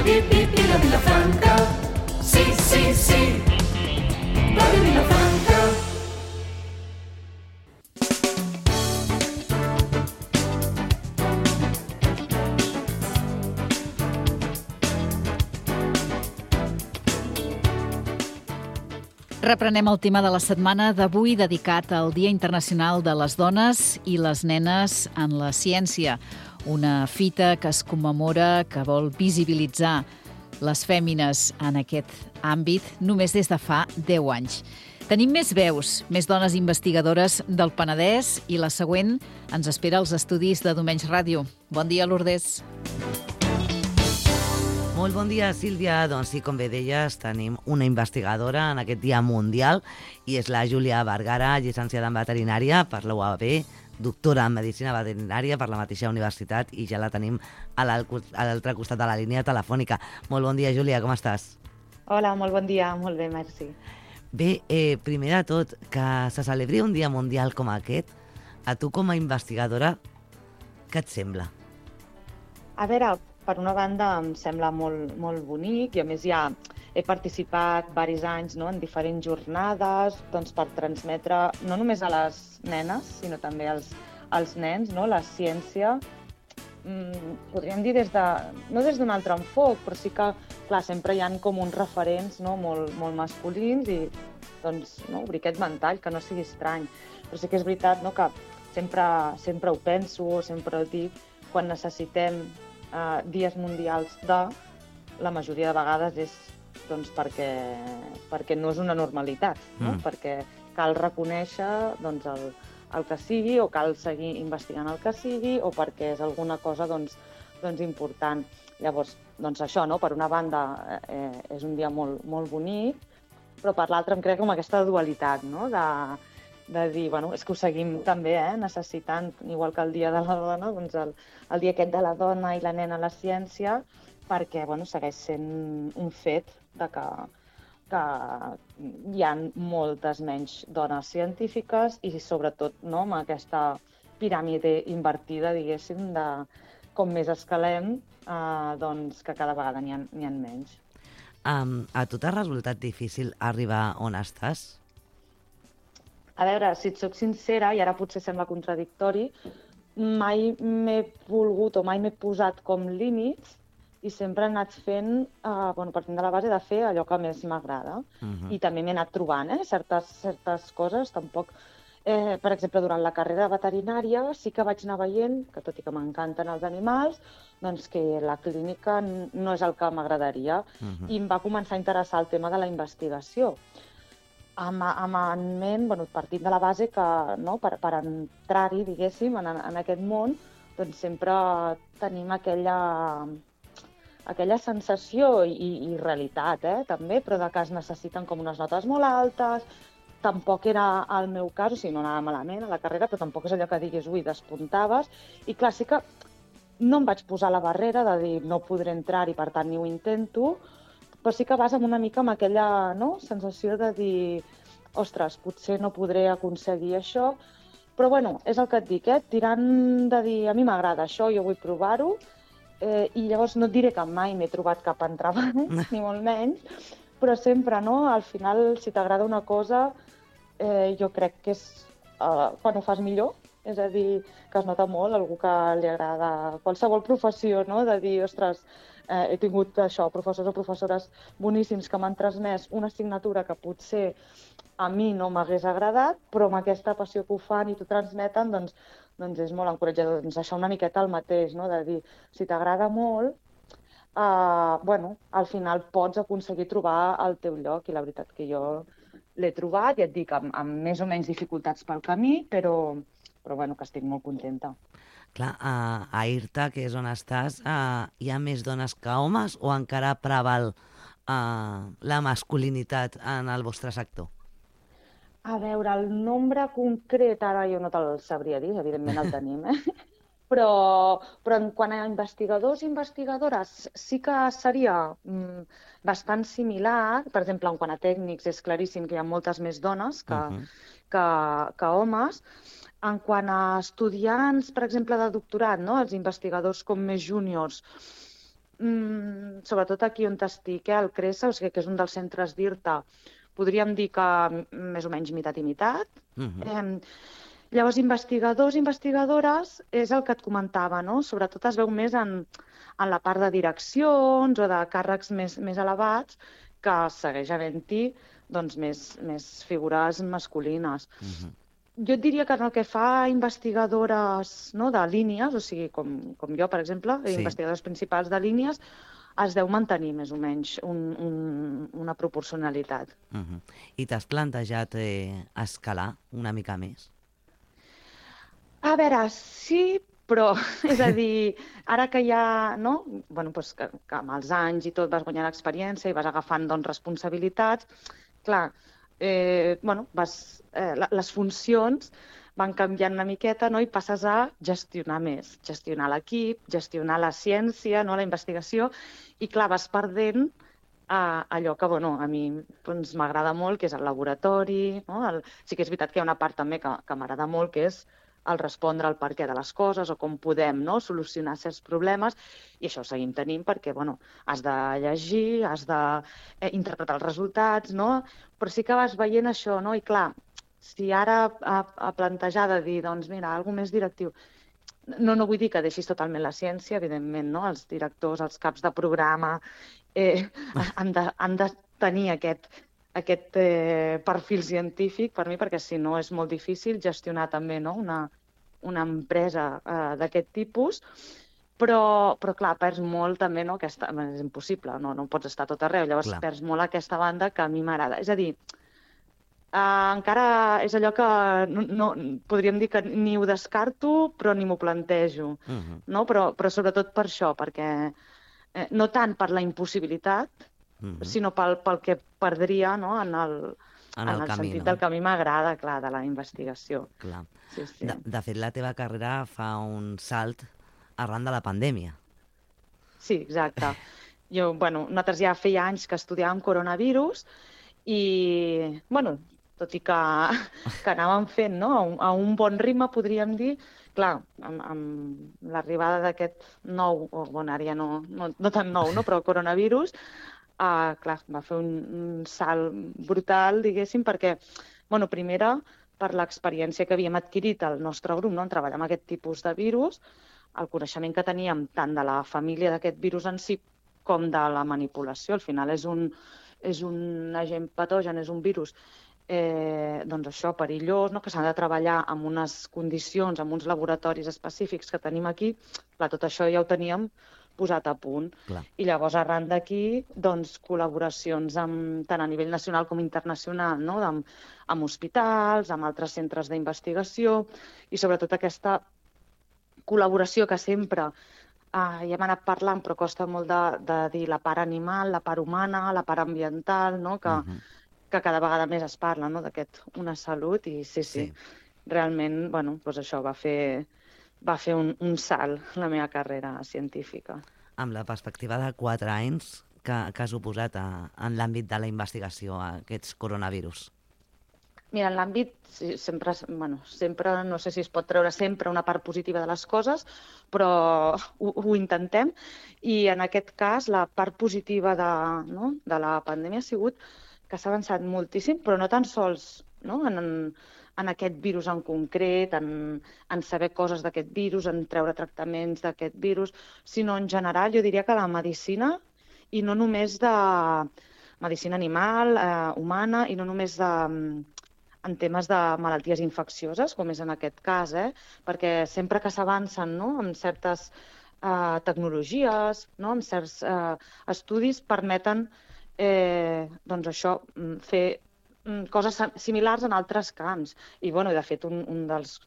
Vila Vilafranca, sí, sí, sí, Ràdio Vilafranca. Reprenem el tema de la setmana d'avui dedicat al Dia Internacional de les Dones i les Nenes en la Ciència. Una fita que es commemora, que vol visibilitzar les fèmines en aquest àmbit només des de fa 10 anys. Tenim més veus, més dones investigadores del Penedès i la següent ens espera als estudis de Domenys Ràdio. Bon dia, Lourdes. Molt bon dia, Sílvia. Doncs sí, com bé deies, tenim una investigadora en aquest Dia Mundial i és la Júlia Vergara, llicenciada en veterinària per la UAB, doctora en Medicina Veterinària per la mateixa universitat i ja la tenim a l'altre costat de la línia telefònica. Molt bon dia, Júlia, com estàs? Hola, molt bon dia, molt bé, merci. Bé, primer de tot, que se celebri un Dia Mundial com aquest, a tu com a investigadora, què et sembla? A veure, per una banda em sembla molt bonic i a més ja he participat diversos anys, no, en diferents jornades doncs, per transmetre no només a les nenes, sinó també als nens, no, la ciència. Podríem dir no des d'un altre enfoc, però sí que clar, sempre hi ha com uns referents, no, molt masculins i doncs, no, obrir aquest ventall, que no sigui estrany. Però sí que és veritat, no, que sempre ho penso, sempre ho dic, quan necessitem dies mundials la majoria de vegades és doncs, perquè no és una normalitat, no? Perquè cal reconèixer doncs, el que sigui o cal seguir investigant el que sigui o perquè és alguna cosa doncs, important. Llavors, doncs això, no? Per una banda és un dia molt bonic, però per l'altra em crec com aquesta dualitat, no? De dir, bueno, és que ho seguim també necessitant, igual que el Dia de la Dona, doncs el dia aquest de la dona i la nena a la ciència, perquè bueno, segueix sent un fet de que hi ha moltes menys dones científiques i sobretot no, amb aquesta piràmide invertida, diguéssim, de com més escalem, doncs que cada vegada n'hi ha menys. A tu t'ha resultat difícil arribar on estàs? A veure, si et soc sincera, i ara potser sembla contradictori, mai m'he volgut o mai m'he posat com límits i sempre he anat fent, partint de la base de fer allò que més m'agrada. I també m'he anat trobant certes coses, tampoc... Per exemple, durant la carrera veterinària sí que vaig anar veient, que tot i que m'encanten els animals, doncs que la clínica no és el que m'agradaria. I em va començar a interessar el tema de la investigació. En ment, partint de la base que no, per entrar-hi, diguéssim, en aquest món, doncs sempre tenim aquella sensació i realitat, també, però de que es necessiten com unes notes molt altes. Tampoc era el meu cas, o sigui, no anava malament a la carrera, però tampoc és allò que diguis, ui, despuntaves. I clar, sí que no em vaig posar la barrera de dir no podré entrar i per tant ni ho intento, però sí que vas una mica amb aquella sensació de dir ostres, potser no podré aconseguir això, però bueno, és el que et dic, tirant de dir a mi m'agrada això, jo vull provar-ho, i llavors no et diré que mai m'he trobat cap entrebanc, ni molt menys, però sempre, no? Al final, si t'agrada una cosa, jo crec que és quan ho fas millor, és a dir, que es nota molt, algú que li agrada qualsevol professió, no? De dir, ostres, he tingut això, professors o professores boníssims que m'han transmès una assignatura que potser a mi no m'hagués agradat, però amb aquesta passió que ho fan i t'ho transmeten, doncs és molt encoratjador. Doncs això una miqueta el mateix, no? De dir, si t'agrada molt, al final pots aconseguir trobar el teu lloc, i la veritat que jo l'he trobat, i et dic, amb més o menys dificultats pel camí, però que estic molt contenta. Clar, a IRTA, que és on estàs, hi ha més dones que homes o encara preval la masculinitat en el vostre sector? A veure, el nombre concret ara jo no te'l sabria dir, evidentment el tenim, però quant a investigadors i investigadores sí que seria bastant similar. Per exemple, en quant a tècnics és claríssim que hi ha moltes més dones que homes. En quant a estudiants, per exemple, de doctorat, no? Els investigadors com més júniors, sobretot aquí on estic, al CRESA, o sigui que és un dels centres d'IRTA, podríem dir que més o menys mitat i mitat. Llavors, investigadors i investigadores és el que et comentava, no? Sobretot es veu més en la part de direccions o de càrrecs més elevats, que segueix havent-hi doncs, més figures masculines. Jo et diria que en el que fa investigadores, no, de línies, o sigui, com jo, per exemple, investigadores principals de línies, es deu mantenir més o menys una proporcionalitat. I t'has plantejat escalar una mica més? A veure, sí, però, és a dir, ara que ja, no? Bueno, doncs que amb els anys i tot vas guanyant experiència i vas agafant doncs, responsabilitats, clar, bueno, les funcions van canviant una miqueta, no? I passes a gestionar més, gestionar l'equip, gestionar la ciència, no? La investigació, i clar, vas perdent allò que, bueno, a mi doncs, m'agrada molt, que és el laboratori, no? Sí que és veritat que hi ha una part també que m'agrada molt, que és el respondre al perquè de les coses o com podem, no? Solucionar certs problemes, i això ho seguim tenint perquè, bueno, has de llegir, has d'interpretar els resultats, no? Però sí que vas veient això, no? I clar, si ara a plantejar de dir, doncs mira, alguna més directiu, no vull dir que deixis totalment la ciència, evidentment, no? Els directors, els caps de programa han de tenir aquest perfil científic per mi, perquè si no és molt difícil gestionar també, no? Una empresa d'aquest tipus, però clar, perds molt també, no? És impossible, no pots estar a tot arreu, llavors perds molt aquesta banda que a mi m'agrada. És a dir, encara és allò que no podríem dir que ni ho descarto, però ni m'ho plantejo, no? Però sobretot per això, perquè no tant per la impossibilitat, sinó pel que perdria, no? en el sentit del que a mi m'agrada, clar, de la investigació. Clar. Sí. De fet, la teva carrera fa un salt arran de la pandèmia. Sí, exacte. Nosaltres ja feia anys que estudiàvem coronavirus i, tot i que anàvem fent, no? A un bon ritme, podríem dir, clar, amb l'arribada d'aquest nou, ara ja no tan nou, no? Però el coronavirus, clar, va fer un salt brutal, diguéssim, perquè, primera, per l'experiència que havíem adquirit al nostre grup, no? En treballar amb aquest tipus de virus, el coneixement que teníem tant de la família d'aquest virus en si com de la manipulació. Al final és un agent patogen, és un virus doncs això, perillós, no? Que s'ha de treballar amb unes condicions, amb uns laboratoris específics que tenim aquí. Clar, tot això ja ho teníem posat a punt. Clar. I llavors, arran d'aquí, doncs, col·laboracions tant a nivell nacional com internacional, no? Amb hospitals, amb altres centres d'investigació, i sobretot aquesta col·laboració que sempre ja hem anat parlant, però costa molt de dir la part animal, la part humana, la part ambiental, no? Que cada vegada més es parla, no? D'aquest una salut, i sí. Realment, doncs això va fer un salt la meva carrera científica. Amb la perspectiva de 4 anys que has suposat en l'àmbit de la investigació a aquests coronavirus? Mira, en l'àmbit, sempre, no sé si es pot treure sempre una part positiva de les coses, però ho intentem, i en aquest cas la part positiva de la pandèmia ha sigut que s'ha avançat moltíssim, però no tan sols, no? En aquest virus en concret, en saber coses d'aquest virus, en treure tractaments d'aquest virus, sinó en general, jo diria que la medicina, i no només de medicina animal, humana, i no només en temes de malalties infeccioses, com és en aquest cas, perquè sempre que s'avancen, no? Amb certes tecnologies, no? Amb certs estudis, permeten doncs això, fer coses similars en altres camps. I, de fet, un dels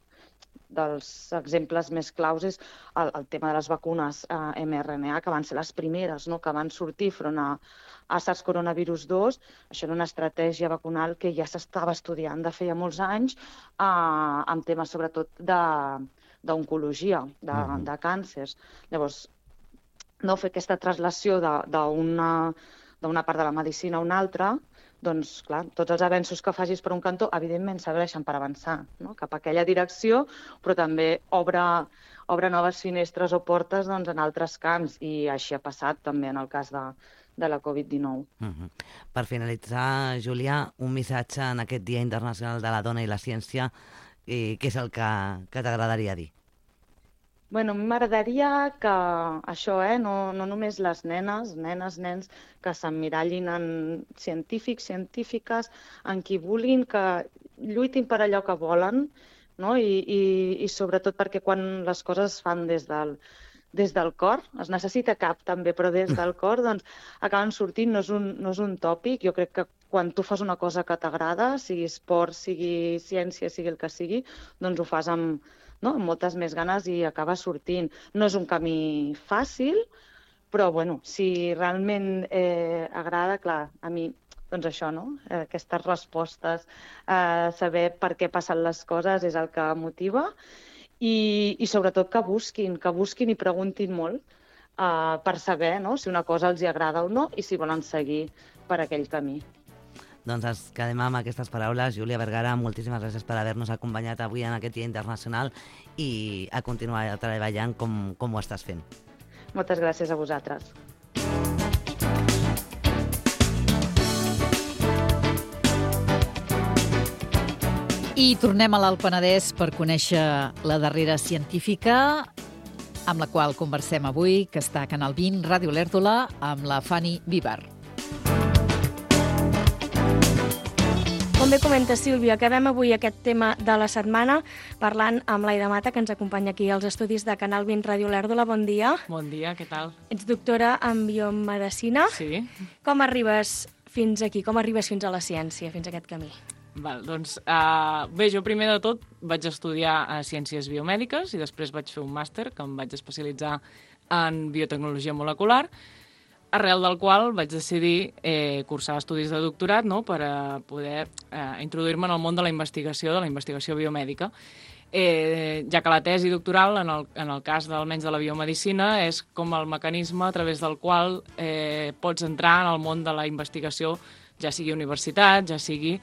exemples més claus és el tema de les vacunes mRNA, que van ser les primeres, no? Que van sortir front a SARS-CoV-2. Això era una estratègia vacunal que ja s'estava estudiant de feia molts anys, amb temes sobretot d'oncologia, de càncers. Llavors, no fer aquesta translació d'una part de la medicina a una altra, doncs, clar, tots els avenços que facis per un cantó, evidentment, serveixen per avançar, no?, cap a aquella direcció, però també obre noves finestres o portes, doncs, en altres camps, i així ha passat també en el cas de la Covid-19. Per finalitzar, Júlia, un missatge en aquest Dia Internacional de la Dona i la Ciència, què és el que t'agradaria dir? Bueno, m'agradaria que això, no només les nenes, nens, que s'emmirallin en científics, científiques, en qui vulguin, que lluitin per allò que volen, no? I sobretot perquè quan les coses es fan des del cor, es necessita cap també, però des del cor, doncs acaben sortint, no és un tòpic. Jo crec que quan tu fas una cosa que t'agrada, sigui esport, sigui ciència, sigui el que sigui, doncs ho fas amb moltes més ganes i acaba sortint. No és un camí fàcil, però bueno, si realment agrada, clar, a mi, doncs això, no? Aquestes respostes, saber per què passen les coses és el que motiva, i sobretot que busquin i preguntin molt per saber, no?, si una cosa els agrada o no i si volen seguir per aquell camí. Doncs ens quedem amb aquestes paraules. Júlia Vergara, moltíssimes gràcies per haver-nos acompanyat avui en aquest Dia Internacional i a continuar treballant com ho estàs fent. Moltes gràcies a vosaltres. I tornem a l'Alt Penedès per conèixer la darrera científica amb la qual conversem avui, que està a Canal 20, Ràdio L'Èrtola, amb la Fanny Vivar. Com bé comenta Sílvia, acabem avui aquest tema de la setmana parlant amb l'Aida Mata, que ens acompanya aquí als estudis de Canal 20 Ràdio L'Èrdola. Bon dia. Bon dia, què tal? Ets doctora en biomedicina. Sí. Com arribes fins aquí? Com arribes fins a la ciència, fins a aquest camí? Doncs, bé, jo primer de tot vaig estudiar Ciències Biomèdiques i després vaig fer un màster que em vaig especialitzar en biotecnologia molecular, arrel del qual vaig decidir cursar estudis de doctorat, no?, per poder introduir-me en el món de la investigació biomèdica. Ja que la tesi doctoral, en el cas almenys de la biomedicina, és com el mecanisme a través del qual pots entrar en el món de la investigació, ja sigui a universitat, ja sigui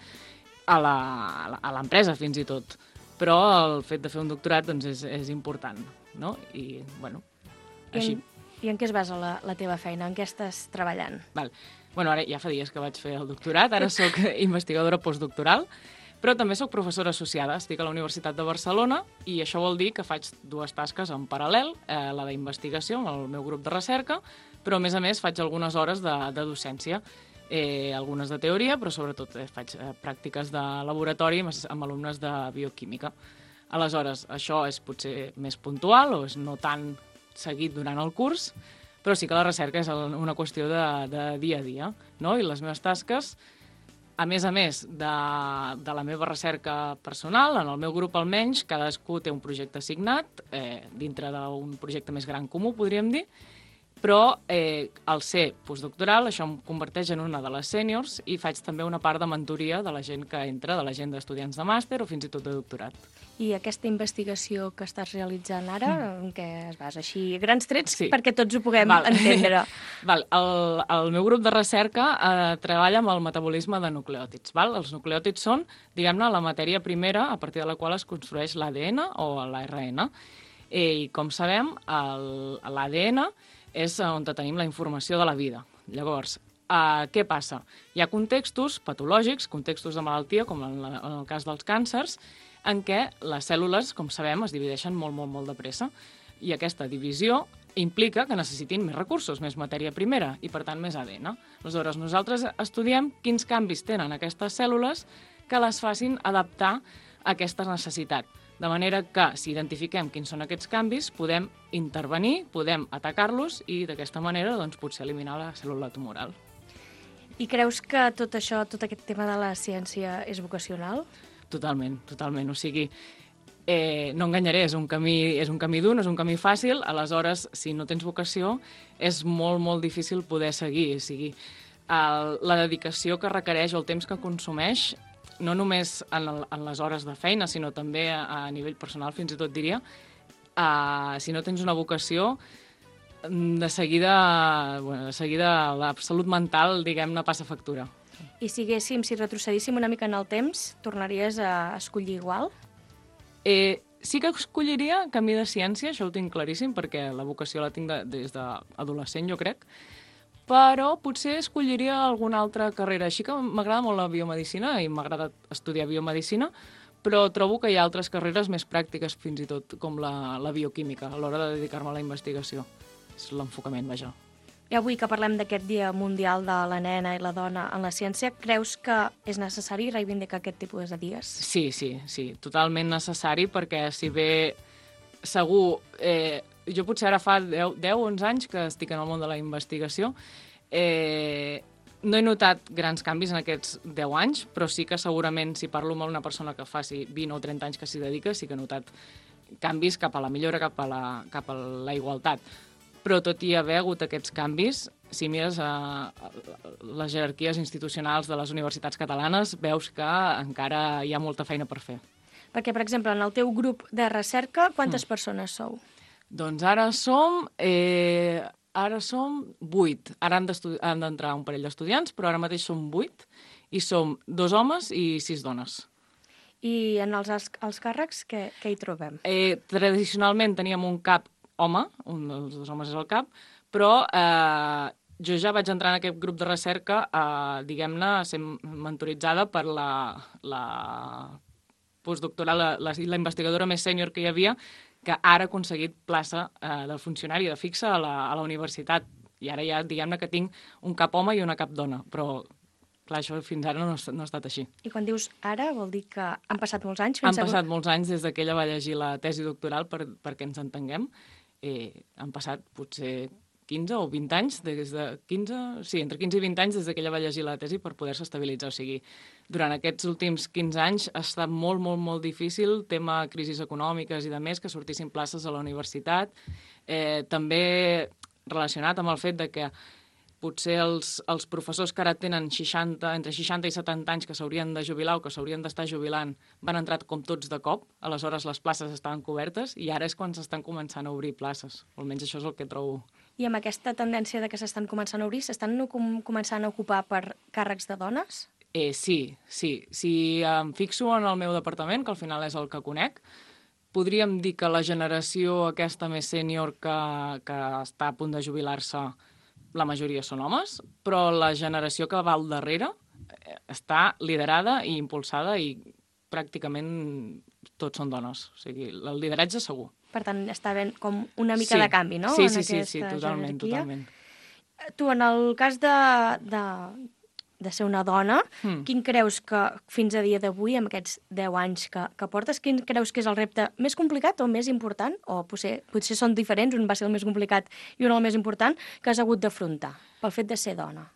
a l'empresa fins i tot. Però el fet de fer un doctorat doncs, és important, no? I, bueno, així. I en què es basa la teva feina? En què estàs treballant? Val. Bueno, ara ja fa dies que vaig fer el doctorat, ara sóc investigadora postdoctoral, però també sóc professora associada, estic a la Universitat de Barcelona i això vol dir que faig dues tasques en paral·lel, la d'investigació amb el meu grup de recerca, però a més faig algunes hores de docència, algunes de teoria, però sobretot faig pràctiques de laboratori amb alumnes de bioquímica. Aleshores, això és potser més puntual o és no tan seguit durant el curs, però sí que la recerca és una qüestió de dia a dia, no? I les meves tasques, a més de la meva recerca personal, en el meu grup almenys, cadascú té un projecte assignat, dintre d'un projecte més gran comú, podríem dir, però al ser postdoctoral això em converteix en una de les sèniors i faig també una part de mentoria de la gent que entra, de la gent d'estudiants de màster o fins i tot de doctorat. I aquesta investigació que estàs realitzant ara, en què es basa? Així, grans trets, sí, perquè tots ho puguem entendre. Val. El meu grup de recerca treballa amb el metabolisme de nucleòtids. Val? Els nucleòtids són, diguem-ne, la matèria primera a partir de la qual es construeix l'ADN o l'ARN. I, com sabem, l'ADN és on tenim la informació de la vida. Llavors, què passa? Hi ha contextos patològics, contextos de malaltia, com en el cas dels càncers, en què les cèl·lules, com sabem, es divideixen molt de pressa. I aquesta divisió implica que necessitin més recursos, més matèria primera i, per tant, més ADN. Aleshores, nosaltres estudiem quins canvis tenen aquestes cèl·lules que les facin adaptar a aquesta necessitat. De manera que, si identifiquem quins són aquests canvis, podem intervenir, podem atacar-los i, d'aquesta manera, doncs, potser eliminar la cèl·lula tumoral. I creus que tot això, tot aquest tema de la ciència és vocacional? Totalment. O sigui, no enganyaré, és un camí dur, no és un camí fàcil, aleshores, si no tens vocació, és molt difícil poder seguir. O sigui, la dedicació que requereix o el temps que consumeix, no només en les hores de feina, sinó també a nivell personal, fins i tot diria, si no tens una vocació, de seguida la salut mental, diguem-ne, passa factura. I si retrocedíssim una mica en el temps, tornaries a escollir igual? Sí que escolliria camí de ciència, això ho tinc claríssim, perquè la vocació la tinc des d'adolescent, jo crec, però potser escolliria alguna altra carrera. Així que m'agrada molt la biomedicina i m'agrada estudiar biomedicina, però trobo que hi ha altres carreres més pràctiques, fins i tot, com la bioquímica, a l'hora de dedicar-me a la investigació. És l'enfocament, vaja. I avui que parlem d'aquest Dia Mundial de la Nena i la Dona en la Ciència, creus que és necessari reivindicar aquest tipus de dies? Sí, totalment necessari, perquè si bé segur... jo potser ara fa 10-11 anys que estic en el món de la investigació, no he notat grans canvis en aquests 10 anys, però sí que segurament si parlo amb una persona que faci 20 o 30 anys que s'hi dedica, sí que he notat canvis cap a la millora, cap a la igualtat. Però tot i haver hagut aquests canvis, si mires les jerarquies institucionals de les universitats catalanes, veus que encara hi ha molta feina per fer. Perquè, per exemple, en el teu grup de recerca, quantes persones sou? Doncs ara som 8. Ara han d'entrar un parell d'estudiants, però ara mateix som 8, i som 2 homes i 6 dones. I en els càrrecs, què hi trobem? Tradicionalment teníem un cap home, un dels 2 homes és el cap, però jo ja vaig entrar en aquest grup de recerca, diguem-ne, sent mentoritzada per la postdoctoral, la investigadora més sènior que hi havia, que ara ha aconseguit plaça de funcionari de fixa a la universitat. I ara ja, diguem-ne, que tinc un cap home i una cap dona, però clar, això fins ara no ha estat així. I quan dius ara, vol dir que han passat molts anys? Han passat molts anys des que ella va llegir la tesi doctoral, perquè ens entenguem. Han passat potser 15 o 20 anys, entre 15 i 20 anys des que ella va llegir la tesi per poder-se estabilitzar. O sigui, durant aquests últims 15 anys ha estat molt, molt, molt difícil, tema crisis econòmiques i de més, que sortissin places a la universitat. També relacionat amb el fet de que potser els professors que ara tenen entre 60 i 70 anys que s'haurien de jubilar o que s'haurien d'estar jubilant van entrar com tots de cop, aleshores les places estaven cobertes i ara és quan s'estan començant a obrir places. Almenys això és el que trobo. I amb aquesta tendència de que s'estan començant a obrir, s'estan començant a ocupar per càrrecs de dones? Sí. Si em fixo en el meu departament, que al final és el que conec, podríem dir que la generació aquesta més sènior que està a punt de jubilar-se, la majoria són homes, però la generació que va al darrere està liderada i impulsada i pràcticament tots són dones. O sigui, el lideratge segur. Per tant, està havent com una mica de canvi, no? Sí, totalment. Tu, en el cas de ser una dona, quin creus que fins a dia d'avui, amb aquests 10 anys que portes, quin creus que és el repte més complicat o més important? O potser són diferents, un va ser el més complicat i un el més important, que has hagut d'afrontar pel fet de ser dona?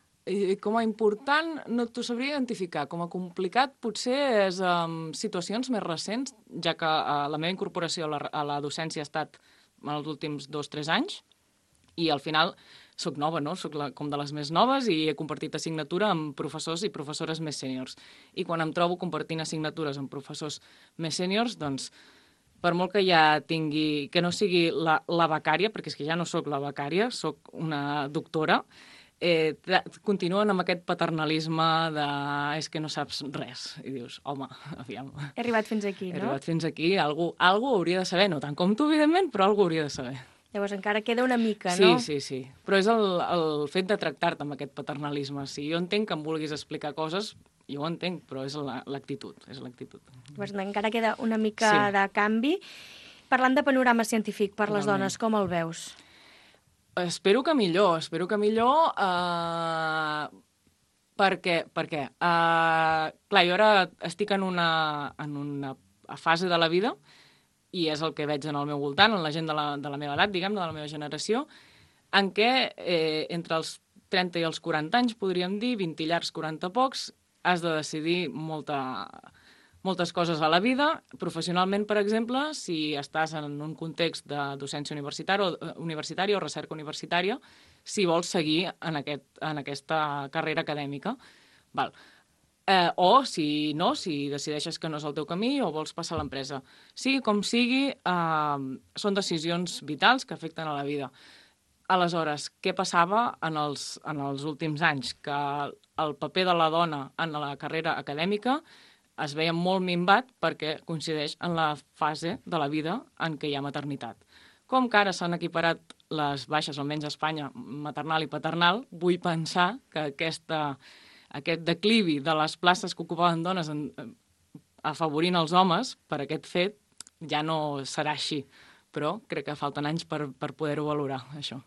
Com a important no t'ho sabria identificar. Com a complicat potser és situacions més recents, ja que la meva incorporació a la docència ha estat en els últims 2-3 anys i al final soc nova, no? Soc com de les més noves i he compartit assignatura amb professors i professores més sèniors. I quan em trobo compartint assignatures amb professors més sèniors, doncs, per molt que ja tingui... que no sigui la becària, perquè és que ja no soc la becària, soc una doctora, continuen amb aquest paternalisme de és que no saps res. I dius, home, aviam... He arribat fins aquí, no? He arribat fins aquí, algú hauria de saber, no tant com tu, evidentment, però algú hauria de saber. Llavors encara queda una mica, no? Sí. Però és el fet de tractar-te amb aquest paternalisme. Si jo entenc que em vulguis explicar coses, jo ho entenc, però és l'actitud. Llavors encara queda una mica de canvi. Parlant de panorama científic per les dones, com el veus? Espero que millor. Per què? Clar, jo ara estic en una fase de la vida i és el que veig en el meu voltant, en la gent de la meva edat, diguem-ne, de la meva generació, en què entre els 30 i els 40 anys, podríem dir, 20 i llargs, 40 pocs, has de decidir moltes coses a la vida. Professionalment, per exemple, si estàs en un context de docència universitària o recerca universitària, si vols seguir en aquesta carrera acadèmica. Val. O, si no, si decideixes que no és el teu camí o vols passar a l'empresa. Sigui com sigui, són decisions vitals que afecten a la vida. Aleshores, què passava en els últims anys? Que el paper de la dona en la carrera acadèmica es veia molt minvat perquè coincideix en la fase de la vida en què hi ha maternitat. Com que ara s'han equiparat les baixes, almenys a Espanya, maternal i paternal, vull pensar que aquest declivi de les places que ocupaven dones afavorint els homes per aquest fet ja no serà així. Però crec que falten anys per poder-ho valorar, això.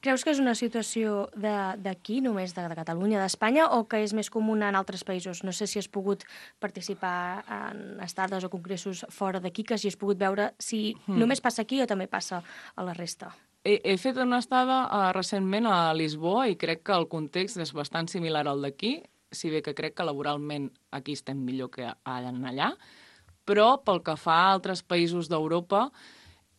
Creus que és una situació d'aquí, només de Catalunya, d'Espanya, o que és més comuna en altres països? No sé si has pogut participar en estades o congressos fora d'aquí, que si has pogut veure si només passa aquí o també passa a la resta. He fet una estada recentment a Lisboa i crec que el context és bastant similar al d'aquí, si bé que crec que laboralment aquí estem millor que allà, però pel que fa a altres països d'Europa,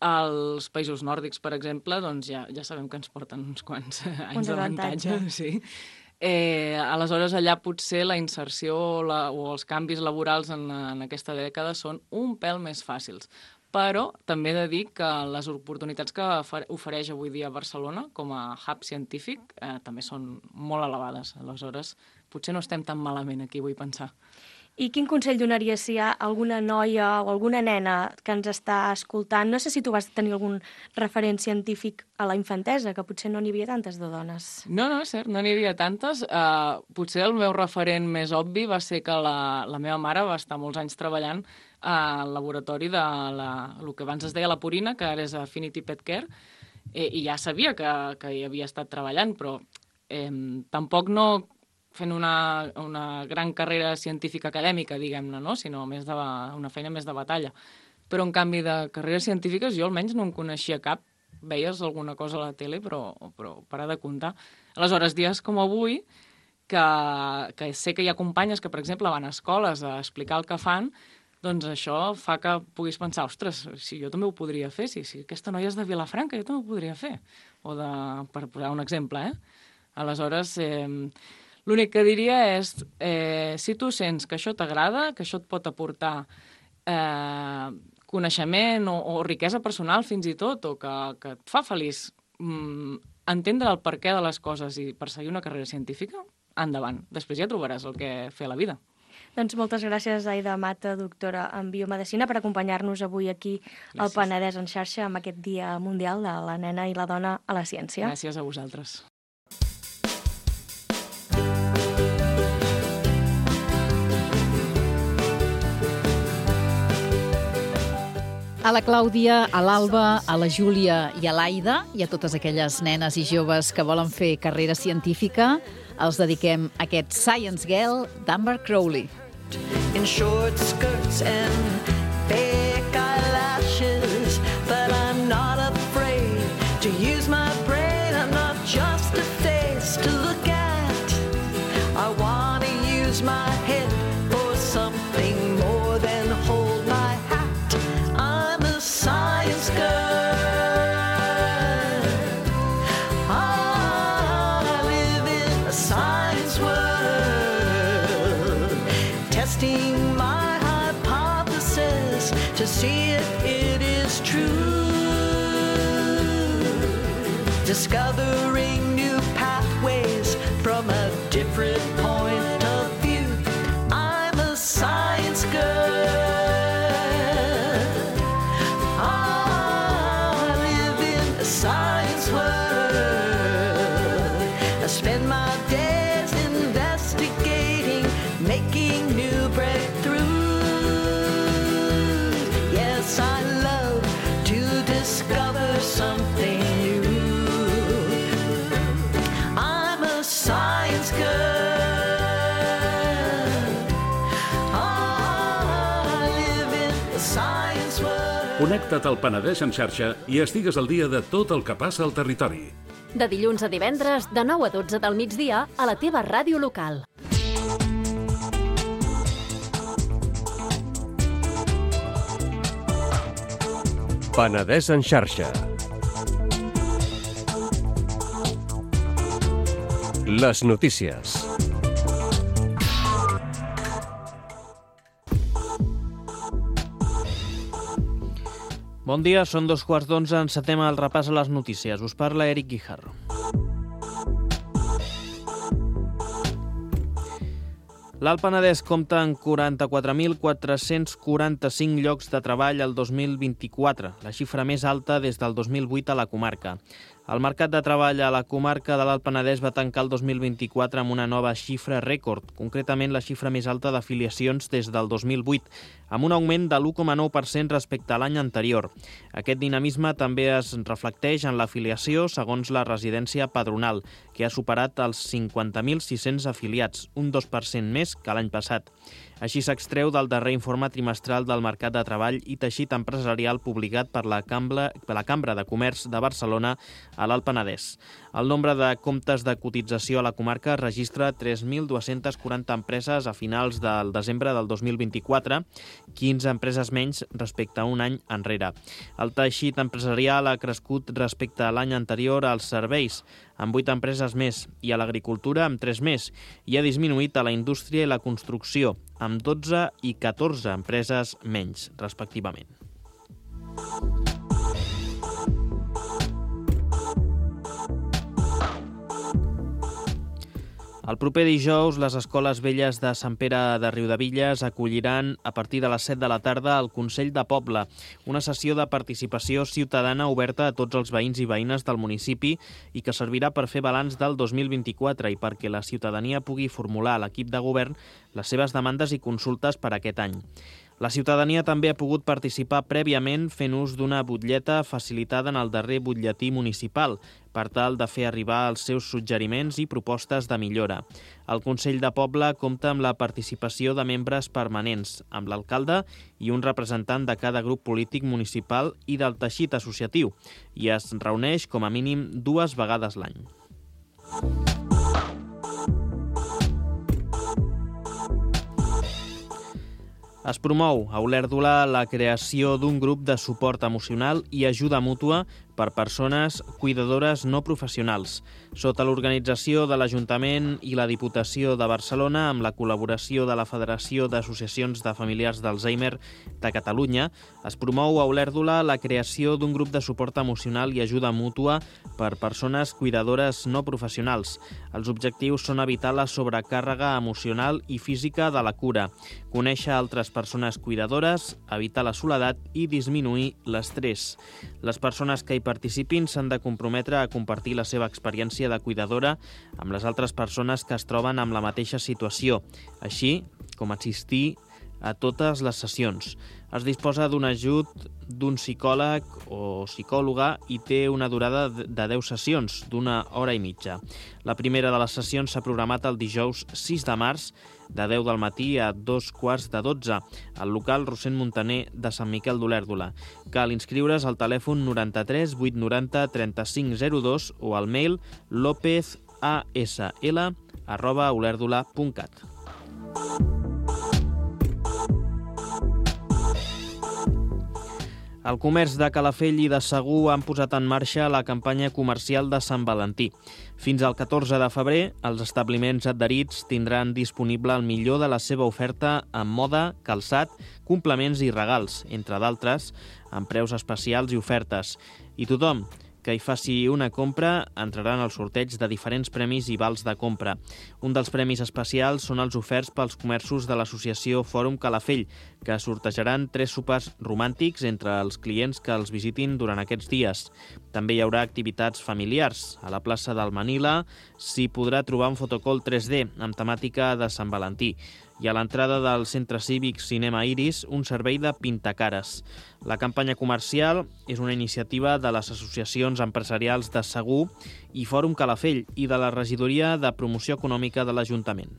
els països nòrdics, per exemple, doncs ja sabem que ens porten uns quants anys d'avantatge. Sí. Aleshores, allà potser la inserció o els canvis laborals en aquesta dècada són un pèl més fàcils. Però també he de dir que les oportunitats que ofereix avui dia Barcelona com a hub científic també són molt elevades. Aleshores, potser no estem tan malament aquí, vull pensar. I quin consell donaries si hi ha alguna noia o alguna nena que ens està escoltant? No sé si tu vas tenir algun referent científic a la infantesa, que potser no n'hi havia tantes de dones. No, és cert, no n'hi havia tantes. Potser el meu referent més obvi va ser que la meva mare va estar molts anys treballant al laboratori de el que abans es deia la Purina, que ara és Affinity Pet Care, i ja sabia que hi havia estat treballant, però tampoc no fent una gran carrera científica acadèmica, diguem-ne, no? Sinó una feina més de batalla. Però, en canvi, de carreres científiques jo almenys no en coneixia cap. Veies alguna cosa a la tele, però parar de comptar. Aleshores, dies com avui, que sé que hi ha companyes que, per exemple, van a escoles a explicar el que fan, doncs això fa que puguis pensar, ostres, si jo també ho podria fer, si aquesta noia és de Vilafranca, jo també ho podria fer. Per posar un exemple, Aleshores, l'únic que diria és, si tu sents que això t'agrada, que això et pot aportar coneixement o riquesa personal fins i tot, o que et fa feliç entendre el perquè de les coses i perseguir una carrera científica, endavant. Després ja trobaràs el que fer a la vida. Doncs moltes gràcies, Aida Mata, doctora en biomedicina, per acompanyar-nos avui aquí al Penedès en xarxa amb aquest Dia Mundial de la Nena i la Dona a la Ciència. Gràcies a vosaltres. A la Clàudia, a l'Alba, a la Júlia i a l'Aida i a totes aquelles nenes i joves que volen fer carrera científica, els dediquem aquest Science Girl d'Amber Crowley. In short skirts and fake eyelashes, but I'm not afraid to use my brain. I'm not just a face to look at. I want to use my head for something more than hold my hat. I'm a science girl. I live in a science world, testing my hypothesis to see if it is true, discovering new pathways from a different point of view. I'm a science girl. I live in a science world. I spend my days investigating, making new breakthroughs. Yes, I love to discover something new. I'm a science girl. I live in a science world. Connecta't al Penedès en xarxa i estigues al dia de tot el que passa al territori. De dilluns a divendres, de 9 a 12 del migdia, a la teva ràdio local. Penedès en xarxa. Les notícies. Bon dia, són 2:15, encetem el repàs a les notícies. Us parla Eric Guijarro. L'Alt Penedès compta amb 44.445 llocs de treball el 2024, la xifra més alta des del 2008 a la comarca. El mercat de treball a la comarca de l'Alt Penedès va tancar el 2024 amb una nova xifra rècord, concretament la xifra més alta d'afiliacions des del 2008, amb un augment de l'1,9% respecte a l'any anterior. Aquest dinamisme també es reflecteix en l'afiliació segons la residència padronal, que ha superat els 50.600 afiliats, un 2% més que l'any passat. Així s'extreu del darrer informe trimestral del Mercat de Treball i Teixit Empresarial publicat per la Cambra de Comerç de Barcelona a l'Alt Penedès. El nombre de comptes de cotització a la comarca registra 3.240 empreses a finals del desembre del 2024, 15 empreses menys respecte a un any enrere. El teixit empresarial ha crescut respecte a l'any anterior als serveis, amb 8 empreses més, i a l'agricultura amb 3 més, i ha disminuït a la indústria i la construcció, amb 12 i 14 empreses menys, respectivament. El proper dijous, les Escoles Velles de Sant Pere de Riudebitlles acolliran a partir de les 7 de la tarda el Consell de Poble, una sessió de participació ciutadana oberta a tots els veïns i veïnes del municipi i que servirà per fer balanç del 2024 i perquè la ciutadania pugui formular a l'equip de govern les seves demandes i consultes per aquest any. La ciutadania també ha pogut participar prèviament fent ús d'una butlleta facilitada en el darrer butlletí municipal per tal de fer arribar els seus suggeriments i propostes de millora. El Consell de Poble compta amb la participació de membres permanents, amb l'alcalde i un representant de cada grup polític municipal i del teixit associatiu, i es reuneix com a mínim 2 vegades l'any. Es promou a Olèrdola la creació d'un grup de suport emocional i ajuda mútua per persones cuidadores no professionals. Sota l'organització de l'Ajuntament i la Diputació de Barcelona, amb la col·laboració de la Federació d'Associacions de Familiars d'Alzheimer de Catalunya, es promou a Olèrdola la creació d'un grup de suport emocional i ajuda mútua per persones cuidadores no professionals. Els objectius són evitar la sobrecàrrega emocional i física de la cura, conèixer altres persones cuidadores, evitar la soledat i disminuir l'estrès. Les persones que hi participin s'han de comprometre a compartir la seva experiència de cuidadora amb les altres persones que es troben amb la mateixa situació, així com assistir a totes les sessions. Es disposa d'un ajut d'un psicòleg o psicòloga i té una durada de 10 sessions, d'1 hora i mitja. La primera de les sessions s'ha programat el dijous 6 de març, de 10 del matí a 2:15, al local Rossend Montaner de Sant Miquel d'Olèrdola. Cal inscriure's al telèfon 93 890 3502 o al mail lopezasl@olèrdola.cat. El comerç de Calafell i de Segur han posat en marxa la campanya comercial de Sant Valentí. Fins al 14 de febrer, els establiments adherits tindran disponible el millor de la seva oferta en moda, calçat, complements i regals, entre d'altres, amb preus especials i ofertes. I tothom que hi faci una compra entrarà en el sorteig de diferents premis i vals de compra. Un dels premis especials són els oferts pels comerços de l'associació Fòrum Calafell, que sortejaran 3 sopars romàntics entre els clients que els visitin durant aquests dies. També hi haurà activitats familiars. A la plaça del Manila s'hi podrà trobar un fotocall 3D amb temàtica de Sant Valentí i a l'entrada del Centre Cívic Cinema Iris un servei de pintacares. La campanya comercial és una iniciativa de les associacions empresarials de Segur i Fòrum Calafell i de la Regidoria de Promoció Econòmica de l'Ajuntament.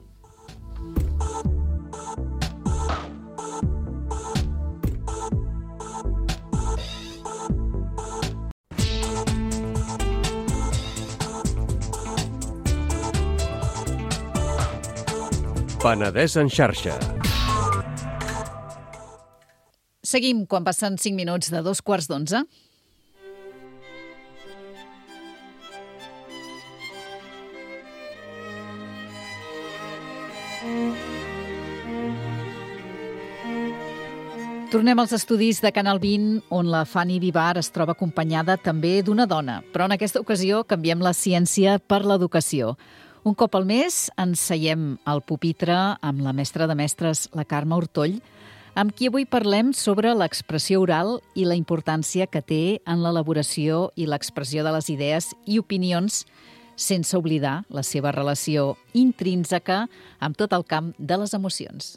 Penedès en xarxa. Seguim quan passen 5 minuts de 11:15. Tornem als estudis de Canal 20, on la Fanny Vivar es troba acompanyada també d'una dona. Però en aquesta ocasió canviem la ciència per l'educació. Un cop al mes ens seiem al pupitre amb la mestra de mestres, la Carme Ortoll, amb qui avui parlem sobre l'expressió oral i la importància que té en l'elaboració i l'expressió de les idees i opinions, sense oblidar la seva relació intrínseca amb tot el camp de les emocions.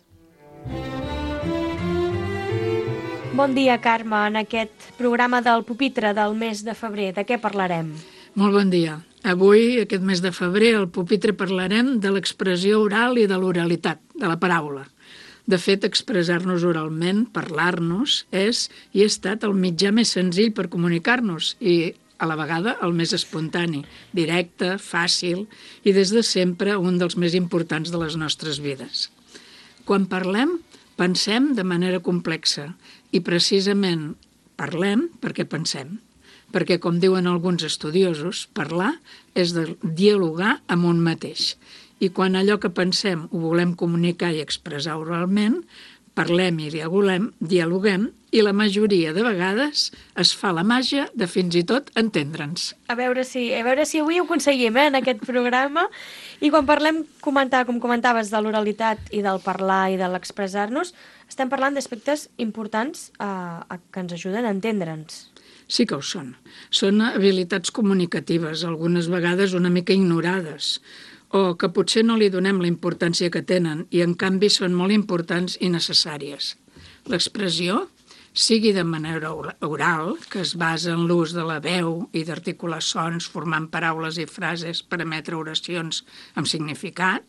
Bon dia, Carme. En aquest programa del pupitre del mes de febrer, de què parlarem? Molt bon dia. Avui, aquest mes de febrer, al pupitre parlarem de l'expressió oral i de l'oralitat, de la paraula. De fet, expressar-nos oralment, parlar-nos, és i ha estat el mitjà més senzill per comunicar-nos i, a la vegada, el més espontani, directe, fàcil i des de sempre un dels més importants de les nostres vides. Quan parlem, pensem de manera complexa i precisament parlem perquè pensem. Perquè, com diuen alguns estudiosos, parlar és dialogar amb un mateix. I quan allò que pensem ho volem comunicar i expressar oralment, parlem i dialoguem i la majoria de vegades es fa la màgia de fins i tot entendre'ns. A veure si avui ho aconseguim, en aquest programa. I quan parlem, com comentaves, de l'oralitat i del parlar i de l'expressar-nos, estem parlant d'aspectes importants que ens ajuden a entendre'ns. Sí que ho són. Són habilitats comunicatives, algunes vegades una mica ignorades, o que potser no li donem la importància que tenen i, en canvi, són molt importants i necessàries. L'expressió, sigui de manera oral, que es basa en l'ús de la veu i d'articular sons formant paraules i frases per emetre oracions amb significat,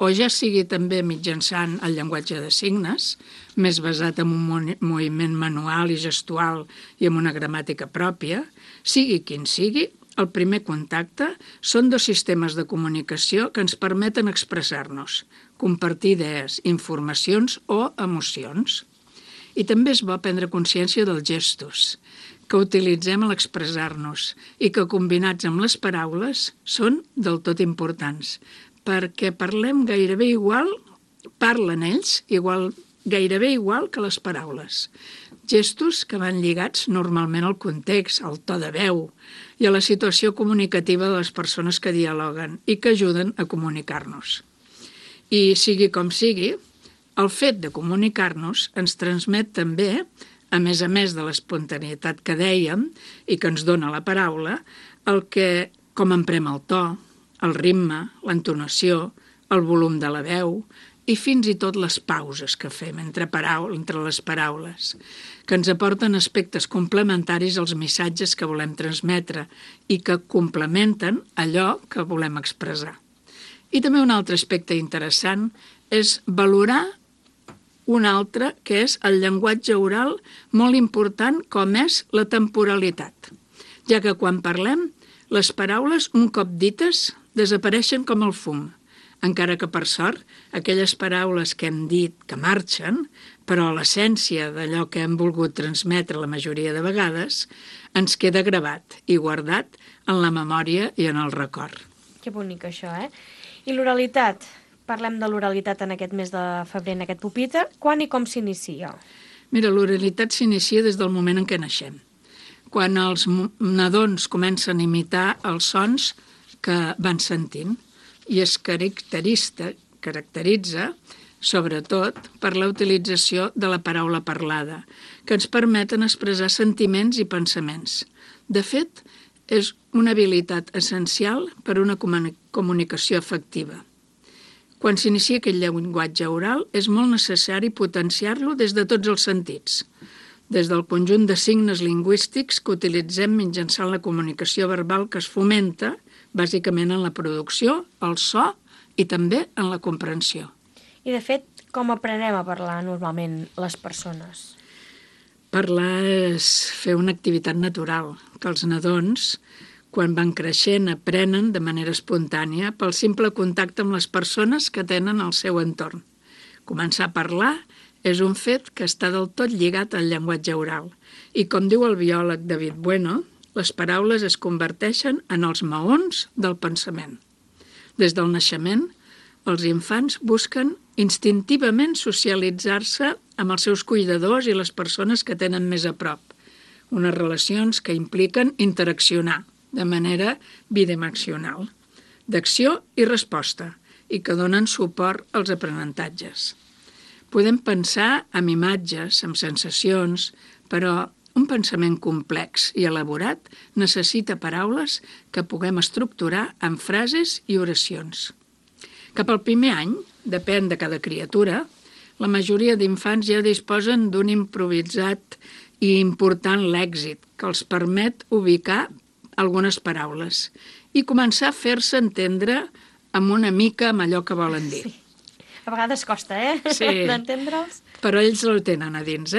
o ja sigui també mitjançant el llenguatge de signes, més basat en un moviment manual i gestual i amb una gramàtica pròpia, sigui quin sigui, el primer contacte són dos sistemes de comunicació que ens permeten expressar-nos, compartir idees, informacions o emocions. I també és bo prendre consciència dels gestos que utilitzem a l'expressar-nos i que, combinats amb les paraules, són del tot importants, perquè parlen ells gairebé igual que les paraules. Gestos que van lligats normalment al context, al to de veu i a la situació comunicativa de les persones que dialoguen i que ajuden a comunicar-nos. I sigui com sigui, el fet de comunicar-nos ens transmet també, a més de l'espontaneïtat que dèiem i que ens dona la paraula, com emprem el to, el ritme, l'entonació, el volum de la veu i fins i tot les pauses que fem entre les paraules, que ens aporten aspectes complementaris als missatges que volem transmetre i que complementen allò que volem expressar. I també un altre aspecte interessant és valorar un altre, que és el llenguatge oral molt important com és la temporalitat, ja que quan parlem, les paraules, un cop dites, desapareixen com el fum, encara que, per sort, aquelles paraules que hem dit que marxen, però l'essència d'allò que hem volgut transmetre la majoria de vegades, ens queda gravat i guardat en la memòria i en el record. Que bonic, això, eh? I l'oralitat? Parlem de l'oralitat en aquest mes de febrer, en aquest pupitre. Quan i com s'inicia? Mira, l'oralitat s'inicia des del moment en què naixem. Quan els nadons comencen a imitar els sons que van sentint i es caracteritza, sobretot, per la utilització de la paraula parlada, que ens permeten expressar sentiments i pensaments. De fet, és una habilitat essencial per a una comunicació efectiva. Quan s'inicia aquest llenguatge oral, és molt necessari potenciar-lo des de tots els sentits, des del conjunt de signes lingüístics que utilitzem mitjançant la comunicació verbal que es fomenta, bàsicament en la producció, el so i també en la comprensió. I, de fet, com aprenem a parlar normalment les persones? Parlar és fer una activitat natural, que els nadons, quan van creixent, aprenen de manera espontània pel simple contacte amb les persones que tenen al seu entorn. Començar a parlar és un fet que està del tot lligat al llenguatge oral. I, com diu el biòleg David Bueno, les paraules es converteixen en els maons del pensament. Des del naixement, els infants busquen instintivament socialitzar-se amb els seus cuidadors i les persones que tenen més a prop, unes relacions que impliquen interaccionar de manera bidimensional. d'acció i resposta i que donen suport als aprenentatges. Podem pensar amb imatges, amb sensacions, però un pensament complex i elaborat necessita paraules que puguem estructurar en frases i oracions. Cap al primer any, depèn de cada criatura, la majoria d'infants ja disposen d'un improvisat i important lèxic que els permet ubicar algunes paraules i començar a fer-se entendre amb una mica amb allò que volen dir. Sí. A vegades costa, Sí. d'entendre'ls. Però ells el tenen a dins,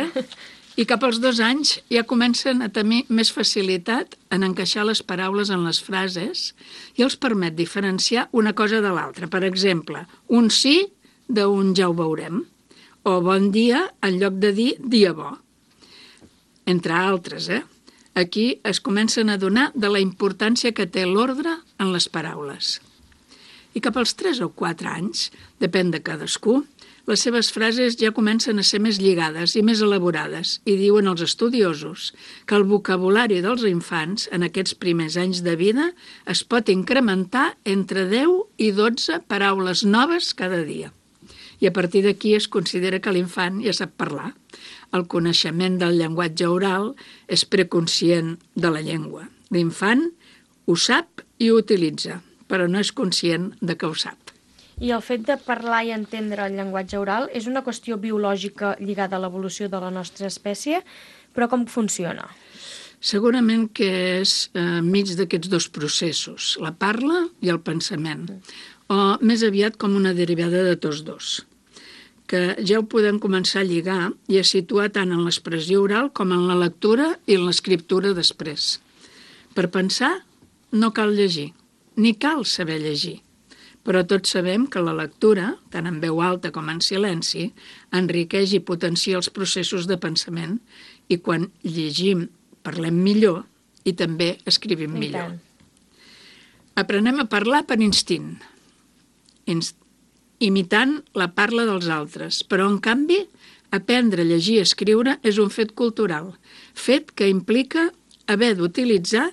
I cap als 2 anys ja comencen a tenir més facilitat en encaixar les paraules en les frases i els permet diferenciar una cosa de l'altra. Per exemple, un sí d'un ja ho veurem, o bon dia en lloc de dir dia bo, entre altres, Aquí es comencen a adonar de la importància que té l'ordre en les paraules. I cap als 3 o 4 anys, depèn de cadascú, les seves frases ja comencen a ser més lligades i més elaborades i diuen els estudiosos que el vocabulari dels infants en aquests primers anys de vida es pot incrementar entre 10 i 12 paraules noves cada dia. I a partir d'aquí es considera que l'infant ja sap parlar. El coneixement del llenguatge oral és preconscient de la llengua. L'infant ho sap i ho utilitza, però no és conscient de que ho sap. I el fet de parlar i entendre el llenguatge oral és una qüestió biològica lligada a l'evolució de la nostra espècie, però com funciona? Segurament que és mig d'aquests 2 processos, la parla i el pensament, o més aviat com una derivada de tots 2, que ja ho podem començar a lligar i a situar tant en l'expressió oral com en la lectura i en l'escriptura després. Per pensar no cal llegir, ni cal saber llegir, però tots sabem que la lectura, tant en veu alta com en silenci, enriqueix i potencia els processos de pensament i quan llegim parlem millor i també escrivim millor. Aprenem a parlar per instint, imitant la parla dels altres, però en canvi aprendre a llegir i escriure és un fet cultural, fet que implica haver d'utilitzar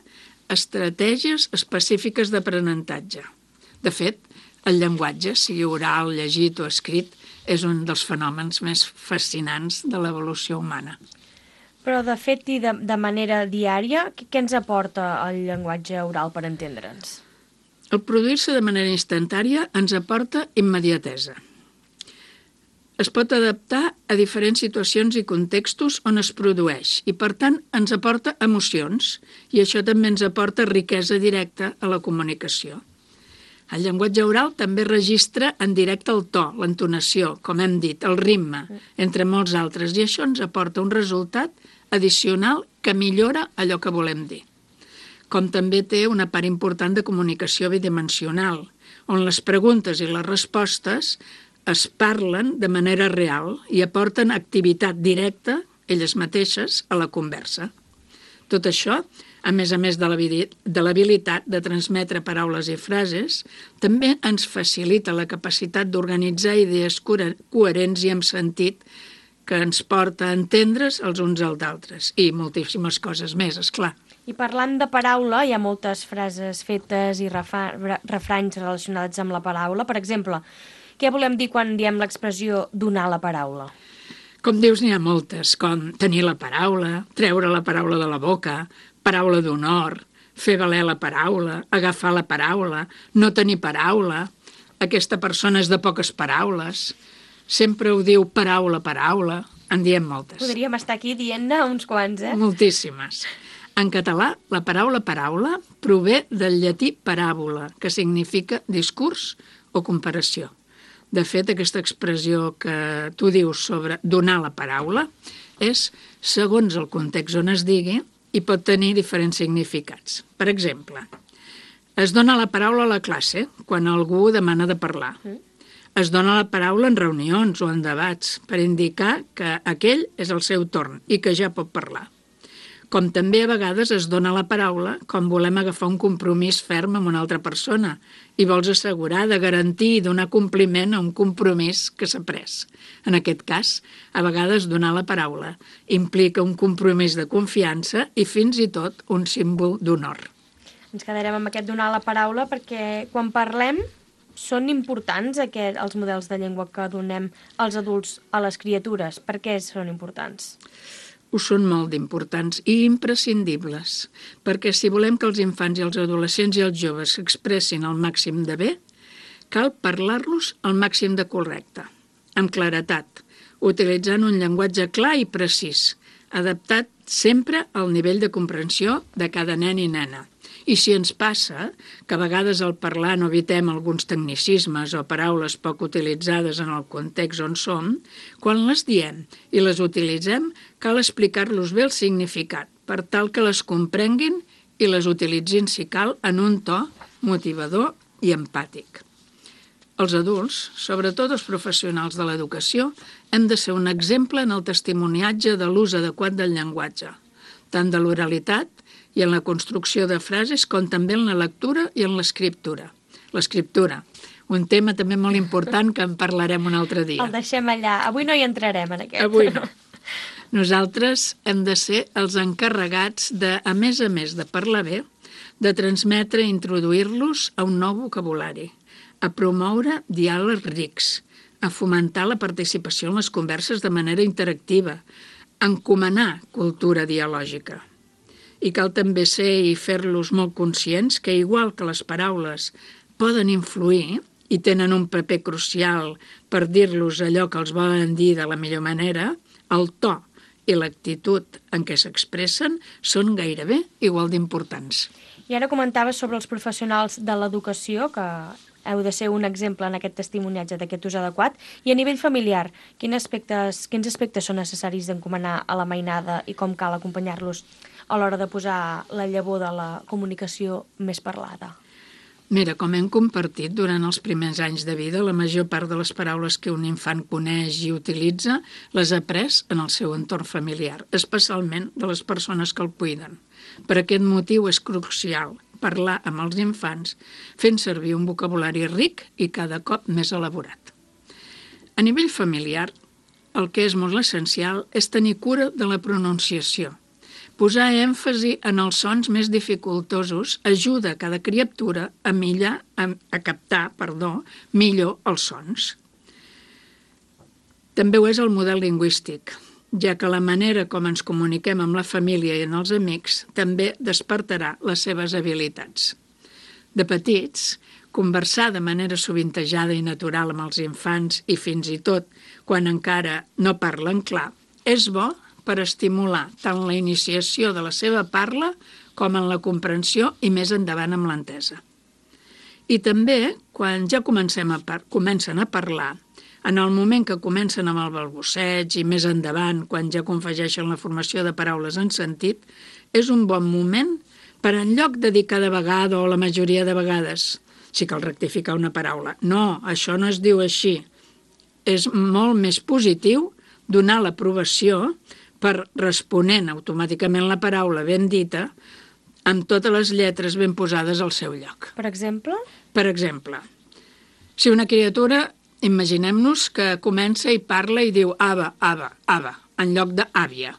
estratègies específiques d'aprenentatge. De fet, el llenguatge, sigui oral, llegit o escrit, és un dels fenòmens més fascinants de l'evolució humana. Però de fet i de manera diària, què ens aporta el llenguatge oral per entendre'ns? El produir-se de manera instantària ens aporta immediatesa. Es pot adaptar a diferents situacions i contextos on es produeix i, per tant, ens aporta emocions i això també ens aporta riquesa directa a la comunicació. El llenguatge oral també registra en directe el to, l'entonació, com hem dit, el ritme, entre molts altres, i això ens aporta un resultat addicional que millora allò que volem dir. Com també té una part important de comunicació bidimensional, on les preguntes i les respostes es parlen de manera real i aporten activitat directa, elles mateixes, a la conversa. Tot això, a més de l'habilitat de transmetre paraules i frases, també ens facilita la capacitat d'organitzar idees coherents i amb sentit que ens porta a entendre's els uns als altres i moltíssimes coses més, esclar. I parlant de paraula, hi ha moltes frases fetes i refranys relacionats amb la paraula. Per exemple, què volem dir quan diem l'expressió donar la paraula? Com dius, n'hi ha moltes, com tenir la paraula, treure la paraula de la boca, paraula d'honor, fer valer la paraula, agafar la paraula, no tenir paraula, aquesta persona és de poques paraules, sempre ho diu paraula, paraula, en diem moltes. Podríem estar aquí dient-ne uns quants, Moltíssimes. En català, la paraula paraula prové del llatí paràbola, que significa discurs o comparació. De fet, aquesta expressió que tu dius sobre donar la paraula és segons el context on es digui i pot tenir diferents significats. Per exemple, es dona la paraula a la classe quan algú demana de parlar. Es dona la paraula en reunions o en debats per indicar que aquell és el seu torn i que ja pot parlar. Com també a vegades es dona la paraula quan volem agafar un compromís ferm amb una altra persona i vols assegurar de garantir i donar compliment a un compromís que s'ha pres. En aquest cas, a vegades donar la paraula implica un compromís de confiança i fins i tot un símbol d'honor. ens quedarem amb aquest donar la paraula, perquè quan parlem són importants els models de llengua que donem als adults a les criatures. Per què són importants? Ho són molt d'importants i imprescindibles, perquè si volem que els infants i els adolescents i els joves s'expressin al màxim de bé, cal parlar-los al màxim de correcte, amb claretat, utilitzant un llenguatge clar i precís, adaptat sempre al nivell de comprensió de cada nen i nena. I si ens passa que a vegades al parlar no evitem alguns tecnicismes o paraules poc utilitzades en el context on som, quan les diem i les utilitzem, cal explicar-los bé el significat, per tal que les comprenguin i les utilitzin, si cal, en un to motivador i empàtic. Els adults, sobretot els professionals de l'educació, hem de ser un exemple en el testimoniatge de l'ús adequat del llenguatge, tant de l'oralitat i en la construcció de frases com també en la lectura i en l'escriptura. L'escriptura, un tema també molt important que en parlarem un altre dia. El deixem allà. Avui no hi entrarem en aquest. Avui no. Nosaltres hem de ser els encarregats de, a més de parlar bé, de transmetre i introduir-los a un nou vocabulari, a promoure diàlegs rics, a fomentar la participació en les converses de manera interactiva, a encomanar cultura dialògica. I cal també ser i fer-los molt conscients que, igual que les paraules poden influir i tenen un paper crucial per dir-los allò que els volen dir de la millor manera, el to i l'actitud en què s'expressen són gairebé igual d'importants. I ara comentaves sobre els professionals de l'educació, que heu de ser un exemple en aquest testimoniatge d'aquest ús adequat. I a nivell familiar, quins aspectes són necessaris d'encomanar a la mainada i com cal acompanyar-los a l'hora de posar la llavor de la comunicació més parlada? Mira, com hem compartit durant els primers anys de vida, la major part de les paraules que un infant coneix i utilitza les ha après en el seu entorn familiar, especialment de les persones que el cuiden. Per aquest motiu és crucial parlar amb els infants fent servir un vocabulari ric i cada cop més elaborat. A nivell familiar, el que és molt essencial és tenir cura de la pronunciació. Posar èmfasi en els sons més dificultosos ajuda a cada criatura a captar millor els sons. També ho és el model lingüístic, ja que la manera com ens comuniquem amb la família i amb els amics també despertarà les seves habilitats. De petits, conversar de manera sovintejada i natural amb els infants i fins i tot quan encara no parlen clar, és bo per estimular tant la iniciació de la seva parla com en la comprensió i més endavant amb l'entesa. I també, quan ja comencen a parlar, en el moment que comencen amb el balbuceig i més endavant, quan ja confegeixen la formació de paraules en sentit, és un bon moment per, en lloc de dir cada vegada o la majoria de vegades, si cal rectificar una paraula. No, això no es diu així. És molt més positiu donar l'aprovació per responent automàticament la paraula ben dita amb totes les lletres ben posades al seu lloc. Per exemple? Per exemple, si una criatura, imaginem-nos que comença i parla i diu ava, ava, ava, en lloc d'àvia.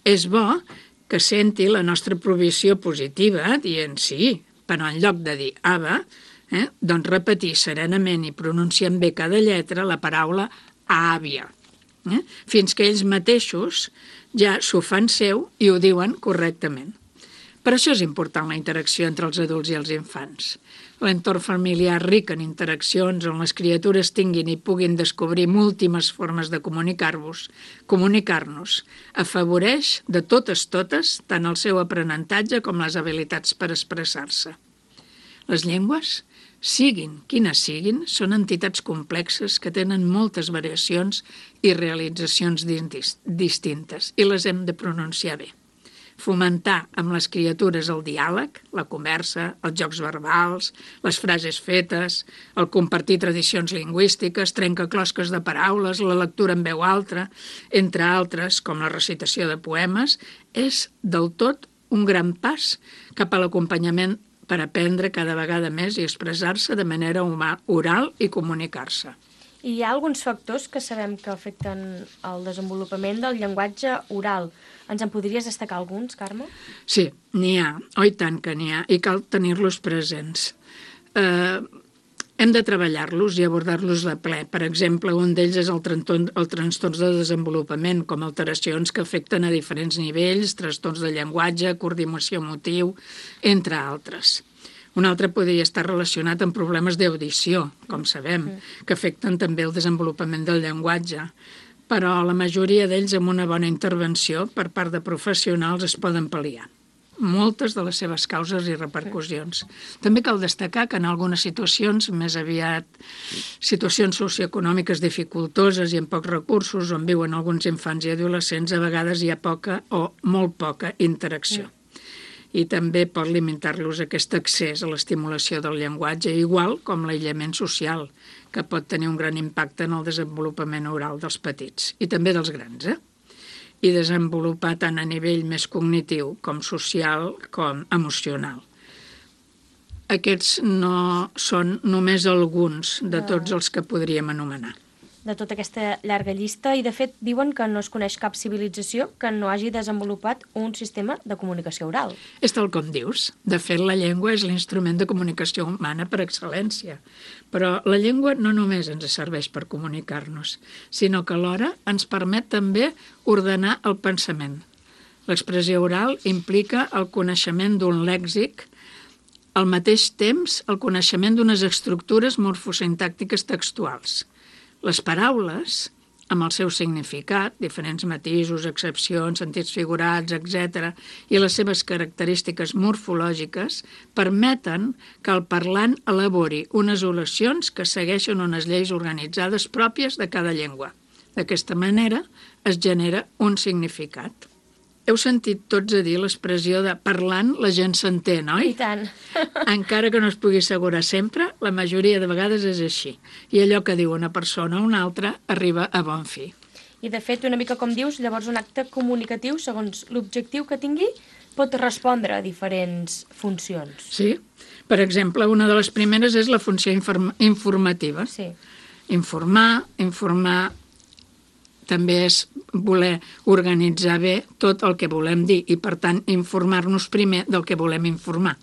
És bo que senti la nostra aprovació positiva dient sí, però en lloc de dir ava, doncs repetir serenament i pronunciant bé cada lletra la paraula àvia. Fins que ells mateixos ja s'ho fan seu i ho diuen correctament. Per això és important la interacció entre els adults i els infants. L'entorn familiar ric en interaccions on les criatures tinguin i puguin descobrir múltiples formes de comunicar-nos afavoreix de totes tant el seu aprenentatge com les habilitats per expressar-se. Les llengües, siguin quines siguin, són entitats complexes que tenen moltes variacions i realitzacions distintes i les hem de pronunciar bé. Fomentar amb les criatures el diàleg, la conversa, els jocs verbals, les frases fetes, el compartir tradicions lingüístiques, trencaclosques de paraules, la lectura en veu alta, entre altres, com la recitació de poemes, és del tot un gran pas cap a l'acompanyament per aprendre cada vegada més i expressar-se de manera oral i comunicar-se. I hi ha alguns factors que sabem que afecten el desenvolupament del llenguatge oral. Ens en podries destacar alguns, Carme? Sí, n'hi ha. Oh, i tant que n'hi ha. I cal tenir-los presents. Hem de treballar-los i abordar-los de ple. Per exemple, un d'ells és el trastorns de desenvolupament, com alteracions que afecten a diferents nivells, trastorns de llenguatge, coordinació motiu, entre altres. Un altre podria estar relacionat amb problemes d'audició, com sabem, que afecten també el desenvolupament del llenguatge. Però la majoria d'ells, amb una bona intervenció per part de professionals, es poden pal·liar moltes de les seves causes i repercussions. També cal destacar que en algunes situacions, més aviat situacions socioeconòmiques dificultoses i amb pocs recursos, on viuen alguns infants i adolescents, a vegades hi ha poca o molt poca interacció. I també pot limitar-los aquest accés a l'estimulació del llenguatge, igual com l'aïllament social, que pot tenir un gran impacte en el desenvolupament oral dels petits, i també dels grans, i desenvolupar tant a nivell més cognitiu com social com emocional. Aquests no són només alguns de tots els que podríem anomenar. De tota aquesta llarga llista, i de fet diuen que no es coneix cap civilització que no hagi desenvolupat un sistema de comunicació oral. És tal com dius. De fet, la llengua és l'instrument de comunicació humana per excel·lència. Però la llengua no només ens serveix per comunicar-nos, sinó que alhora ens permet també ordenar el pensament. L'expressió oral implica el coneixement d'un lèxic, al mateix temps el coneixement d'unes estructures morfosintàctiques textuals. Les paraules, amb el seu significat, diferents matisos, excepcions, sentits figurats, etc., i les seves característiques morfològiques, permeten que el parlant elabori unes oracions que segueixen unes lleis organitzades pròpies de cada llengua. D'aquesta manera es genera un significat. Heu sentit tots a dir l'expressió de parlant la gent s'entén, oi? I tant. Encara que no es pugui assegurar sempre, la majoria de vegades és així. I allò que diu una persona o una altra arriba a bon fi. I de fet, una mica com dius, llavors un acte comunicatiu, segons l'objectiu que tingui, pot respondre a diferents funcions. Sí. Per exemple, una de les primeres és la funció informativa. Sí. Informar també és voler organitzar bé tot el que volem dir i, per tant, informar-nos primer del que volem informar.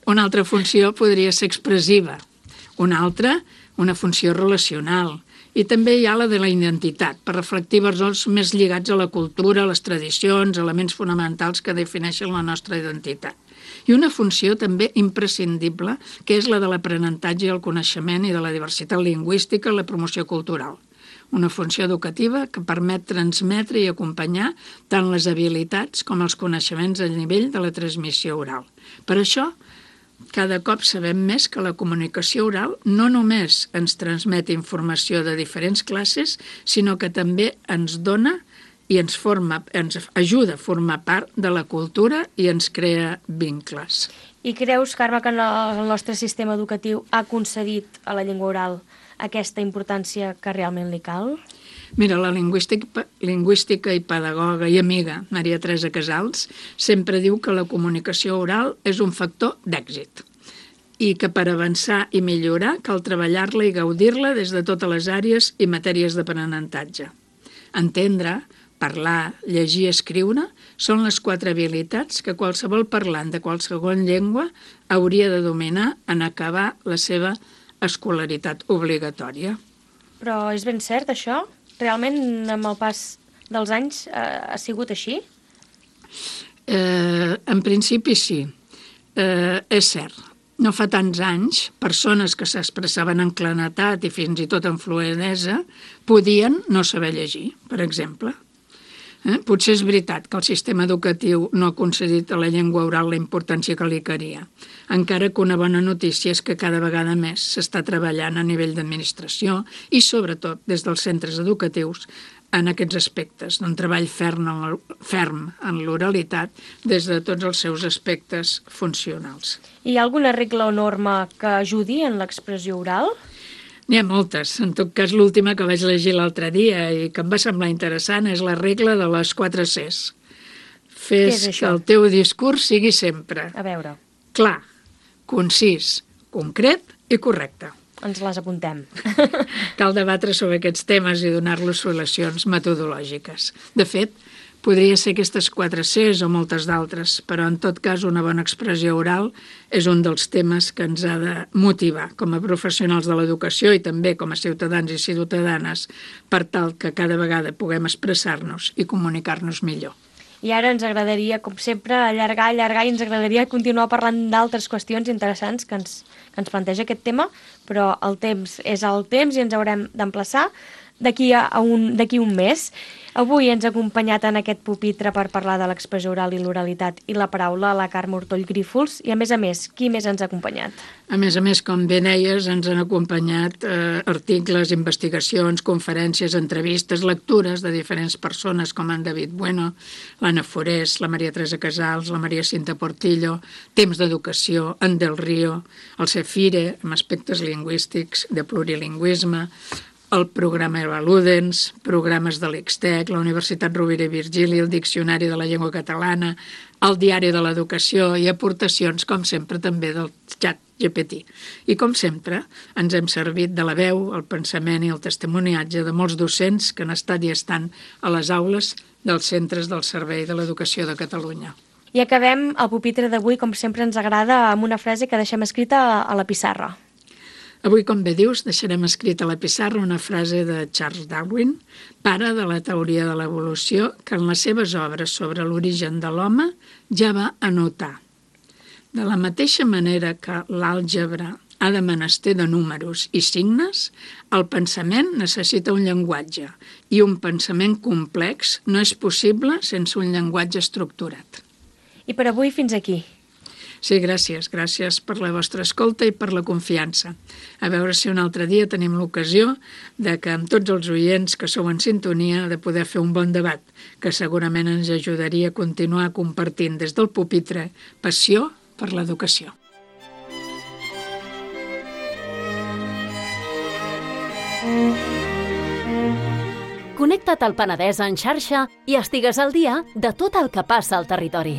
Una altra funció podria ser expressiva, una altra, una funció relacional, i també hi ha la de la identitat, per reflectir valors més lligats a la cultura, a les tradicions, elements fonamentals que defineixen la nostra identitat. I una funció també imprescindible, que és la de l'aprenentatge i el coneixement i de la diversitat lingüística i la promoció cultural. Una funció educativa que permet transmetre i acompanyar tant les habilitats com els coneixements a nivell de la transmissió oral. Per això, cada cop sabem més que la comunicació oral no només ens transmet informació de diferents classes, sinó que també ens dona i ens ajuda a formar part de la cultura i ens crea vincles. I creus, Carme, que el nostre sistema educatiu ha concedit a la llengua oral aquesta importància que realment li cal? Mira, la lingüística i pedagoga i amiga Maria Teresa Casals sempre diu que la comunicació oral és un factor d'èxit i que per avançar i millorar cal treballar-la i gaudir-la des de totes les àrees i matèries d'aprenentatge. Entendre, parlar, llegir i escriure són les 4 habilitats que qualsevol parlant de qualsevol llengua hauria de dominar en acabar la seva escolaritat obligatòria. Però és ben cert, això? Realment, amb el pas dels anys, ha sigut així? En principi, sí. És cert. No fa tants anys, persones que s'expressaven en claredat i fins i tot en fluidesa podien no saber llegir, per exemple. Potser és veritat que el sistema educatiu no ha concedit a la llengua oral la importància que li calia, encara que una bona notícia és que cada vegada més s'està treballant a nivell d'administració i, sobretot, des dels centres educatius en aquests aspectes, d'un treball ferm en l'oralitat des de tots els seus aspectes funcionals. Hi ha alguna regla o norma que ajudi en l'expressió oral? N'hi ha moltes. En tot cas, l'última que vaig llegir l'altre dia i que em va semblar interessant és la regla de les 4 Cs. Fes que el teu discurs sigui sempre a veure, clar, concís, concret i correcte. ens les apuntem. Cal debatre sobre aquests temes i donar-los solucions metodològiques. De fet, podria ser aquestes 4 Cs o moltes d'altres, però en tot cas una bona expressió oral és un dels temes que ens ha de motivar com a professionals de l'educació i també com a ciutadans i ciutadanes per tal que cada vegada puguem expressar-nos i comunicar-nos millor. I ara ens agradaria, com sempre, allargar i ens agradaria continuar parlant d'altres qüestions interessants que ens planteja aquest tema, però el temps és el temps i ens haurem d'emplaçar d'aquí un mes. Avui ens ha acompanyat en aquest pupitre per parlar de l'expressió oral i l'oralitat i la paraula la Carme Ortoll Grífols i, a més, qui més ens ha acompanyat? A més, com bé deies, ens han acompanyat articles, investigacions, conferències, entrevistes, lectures de diferents persones com en David Bueno, l'Anna Forés, la Maria Teresa Casals, la Maria Cinta Portillo, Temps d'Educació, en Del Río, el Cefire, amb aspectes lingüístics, de plurilingüisme, el programa Evaludens, programes de l'Ixtec, la Universitat Rovira i Virgili, el Diccionari de la Llengua Catalana, el Diari de l'Educació i aportacions, com sempre, també del xat GPT. I, com sempre, ens hem servit de la veu, el pensament i el testimoniatge de molts docents que han estat i estan a les aules dels centres del Servei de l'Educació de Catalunya. I acabem el pupitre d'avui, com sempre ens agrada, amb una frase que deixem escrita a la pissarra. Avui, com bé dius, deixarem escrita a la pissarra una frase de Charles Darwin, pare de la teoria de l'evolució, que en les seves obres sobre l'origen de l'home ja va anotar. De la mateixa manera que l'àlgebra ha de menester de números i signes, el pensament necessita un llenguatge i un pensament complex no és possible sense un llenguatge estructurat. I per avui fins aquí. Sí, gràcies. Gràcies per la vostra escolta i per la confiança. A veure si un altre dia tenim l'ocasió de que amb tots els oients que sou en sintonia de poder fer un bon debat, que segurament ens ajudaria a continuar compartint des del pupitre passió per l'educació. Connecta't al Penedès en xarxa i estigues al dia de tot el que passa al territori.